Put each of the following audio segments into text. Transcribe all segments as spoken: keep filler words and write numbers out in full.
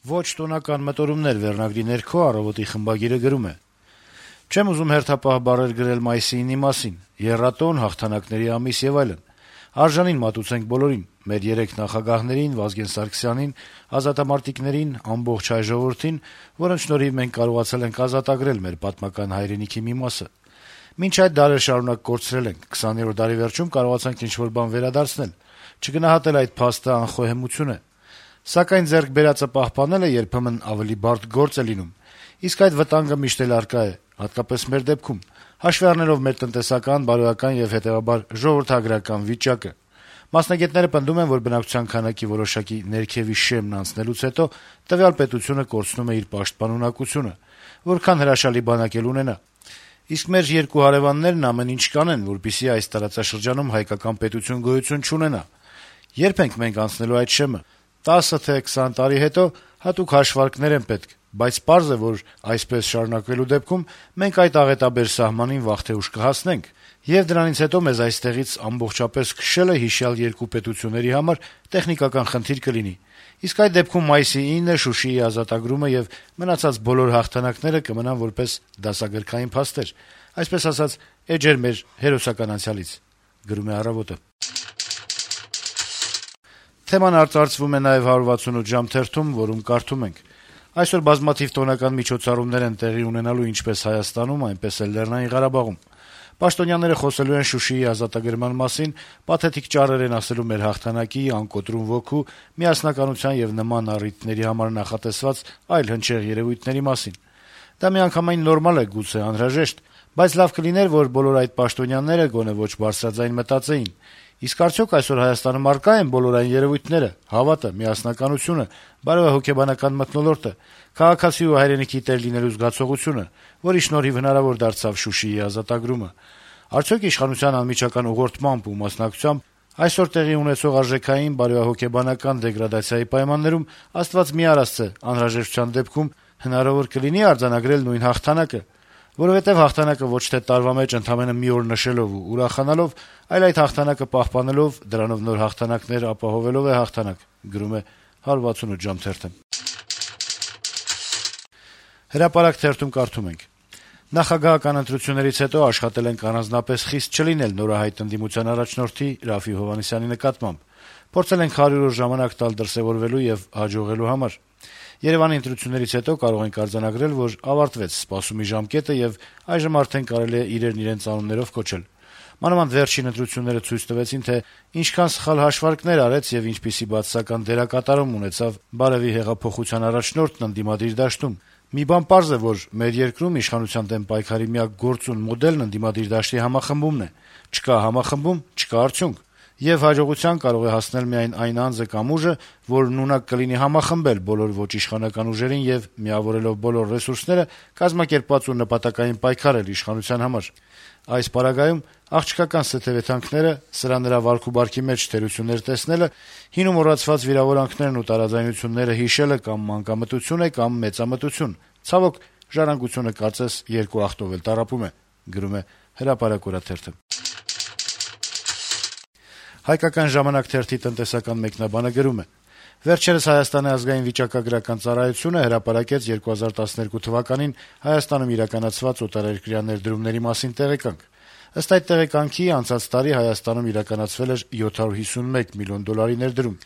Ոչ տոնական մտորումներ վերնագրի ներքո «Առավոտ»-ի խմբագիրը գրում է. - «Չեմ ուզում հերթապահ բառեր գրել մայիսի ինի մասին. եռատոն, հաղթանակների ամիս եւ այլն: Արժանին մատուցենք բոլորին, մեր երեք նախագահներին, Վազգեն Սարգսյանին, ազատամարտիկներին, ամբողջ հայ ժողովրդին, որոնց շնորհիվ մենք կարողացել ենք ազատագրել մեր պատմական հայրենիքի մի մասը: Մինչ այդ դարեր շարունակ կորցրել ենք, քսաներորդ դարի վերջում կարողացանք ինչ-որ բան վերադարձնել: Չգնահատել այդ փաստը անխոհեմություն է: Սակայն ձեռք բերածը պահպանելը երբեմն ավելի բարդ գործ է լինում: Իսկ այդ վտանգը միշտ էլ առկա է, հատկապես մեր դեպքում, հաշվի առնելով մեր տնտեսական, բարոյական եւ հետեւաբար ժողովրդագրական վիճակը: Մասնագետները պնդում են, որ բնակչության քանակի որոշակի ներքեւի շեմն անցնելուց հետո տվյալ պետությունը կորցնում է իր պաշտպանունակությունը, որքան հրաշալի բանակ էլ ունենա: Իսկ մեր երկու հարեւաններն ամեն ինչ կանեն, որպեսզի այս տարածաշրջանում հայկական պետություն գոյություն չունենա: Ե՞րբ ենք մենք անցնելու այդ շեմը: տասը թե քսան տարի հետո հատուկ հաշվարկներ են պետք, բայց պարզ է, որ այսպես շարունակվելու դեպքում մենք այդ աղետաբեր սահմանին վաղ թե ուշ կհասնենք, եւ դրանից հետո մեզ այստեղից ամբողջապես քշելը հիշյալ երկու պետությունների համար տեխնիկական խնդիր կլինի: Իսկ այդ դեպքում մայիսի ինը, Շուշիի ազատագրումը եւ մնացած բոլոր հաղթանակները կմնան որպես դասագրքային փաստեր, այսպես ասած, էջեր մեր հերոսական անցյալից»: Թեման արծարծվում է նաեւ «հարյուր վաթսունութ ժամ» թերթում, որում կարդում ենք. - «Այսօր բազմաթիվ տոնական միջոցառումներ են տեղի ունենալու ինչպես Հայաստանում, այնպես էլ Լեռնային Ղարաբաղում: Պաշտոնյաները խոսելու են Շուշիի ազատագրման մասին, պաթետիկ ճառեր են ասելու մեր հաղթանակի, անկոտրում ոգու, միասնականության եւ նման առիթների համար նախատեսված այլ հնչեղ երեւույթների մասին: Դա միանգամայն նորմալ է, գուցե անհրաժեշտ, բայց լավ կլիներ, որ բոլոր այդ պաշտոնյաները գոնե ոչ բարձրաձայն մտածեին. իսկ արդյոք այսօր Հայաստանում առկա՞ են բոլոր այն երեւույթները, հավատը, միասնականությունը, բարոյահոգեբանական մթնոլորտը, քաղաքացի ու հայրենիքի տեր լինելու զգացողությունը, որի շնորհիվ հնարավոր դարձավ Շուշիի ազատագրումը: Արդյոք իշխանության անմիջական ուղղորդմամբ ու մասնակցությամբ այսօր տեղի ունեցող արժեքային, բարոյահոգեբանական դեգրադացիայի պայմաններում Աստված մի արասցե, անհրաժեշտության դեպքում հնարավոր կլինի՞ արձանագրել նույն հաղթանակը: Որովհետեւ հաղթանակը ոչ թե տարվա մեջ ընդամենը մի օր նշելով ու ուրախանալով, այլ այդ հաղթանակը պահպանելով, դրանով նոր հաղթանակներ ապահովելով է հաղթանակ»: «Հրապարակ» թերթում կարդում ենք. - «Նախագահական ընտրություններից հետո աշխատել ենք առանձնապես խիստ չլինել նորահայտ ընդդիմության առաջնորդի Րաֆֆի Հովհաննիսյանի նկատմամբ: Փորձել ենք հարյուր օր ժամանակ տալ դրսեւորվելու եւ հաջողելու համար: Երեւանի ընտրություններից հետո կարող ենք արձանագրել, որ ավարտվեց սպասումի ժամկետը եւ այժմ արդեն կարելի է իրերն իրենց անուններով կոչել: Մանավանդ վերջին ընտրությունները ցույց տվեցին, թե ինչքան սխալ հաշվարկներ արեց եւ ինչպիսի բացասական դերակատարում ունեցավ բարեւի հեղափոխության առաջնորդն ընդդիմադիր դաշտում: Մի բան պարզ է, որ մեր երկրում իշխանության դեմ պայքարի միակ գործուն մոդելն ընդդիմադիր դաշտի համախմբումն է: Չկա համախմբում, չկա արդյունք: Եվ հաջողության կարող է հասնել միայն այն անձը կամ ուժը, որն ունակ կլինի համախմբել բոլոր ոչ իշխանական ուժերին եւ, միավորելով բոլոր ռեսուրսները, կազմակերպված ու նպատակային պայքարել իշխանության համար: Այս պարագայում աղջկական սեթեւեթանքները, սրա-նրա վարք-ու-բարքի մեջ թերություններ տեսնելը, հին ու մոռացված վիրավորանքներն ու տարաձայնությունները հիշելը կամ մանկամտություն է, կամ մեծամտություն: Ցավոք, ժառանգությունը կարծես երկու ախտով էլ տառապում է»: «Հայկական ժամանակ» թերթի տնտեսական մեկնաբանը գրում է. - «Վերջերս Հայաստանի ազգային վիճակագրական ծառայությունը հրապարակեց երկու հազար տասներկու թվականին Հայաստանում իրականացված օտարերկրյա ներդրումների մասին տեղեկանք: Ըստ այդ տեղեկանքի, անցած տարի Հայաստանում իրականացվել էր յոթ հարյուր հիսունմեկ միլիոն դոլարի ներդրում: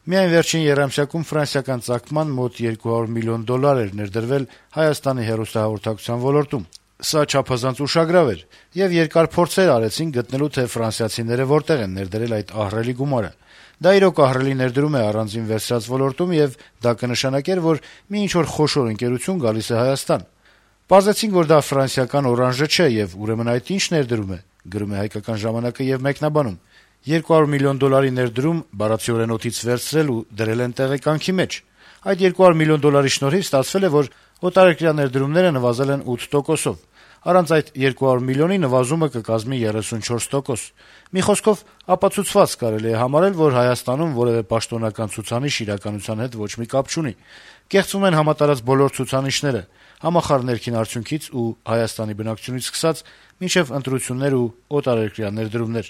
Միայն վերջին եռամսյակում ֆրանսիական ծագման մոտ երկու հարյուր միլիոն դոլար էր ներդրվել Հայաստանի հեռուստահաղորդակցության ոլորտում: Սա չափազանց ուշագրավ էր, եւ երկար փորձեր արեցինք գտնելու, թե ֆրանսիացիները որտեղ են ներդրել այդ ահռելի գումարը: Դա իրոք ահռելի ներդրում է առանձին վերցրած ոլորտում, եւ դա կնշանակեր, որ մի ինչ-որ խոշոր ընկերություն գալիս է Հայաստան: Պարզեցինք, որ դա ֆրանսիական օրանժը չէ, եւ ուրեմն այդ ի՞նչ ներդրում է»: Մեկնաբանում. - «երկու հարյուր միլիոն դոլարի ներդրում բառացիորեն օդից վերցրել ու դրել են տեղեկանքի մեջ: Այդ երկու հարյուր միլիոն դոլարի շնորհիվ ստացվել է, որ օտարերկրյա ներդրումները նվազել են ութ տոկոսով: Առանց այդ երկու հարյուր միլիոնի նվազումը կկազմի երեսունչորս տոկոս: Մի խոսքով, ապացուցված կարելի է համարել, որ Հայաստանում որեւէ պաշտոնական ցուցանիշ իրականության հետ ոչ մի կապ չունի: Կեղծվում են համատարած բոլոր ցուցանիշները՝ համախառն ներքին արդյունքից ու Հայաստանի բնակչությունից սկսած մինչեւ ընտրություններ ու օտարերկրյա ներդրումներ»: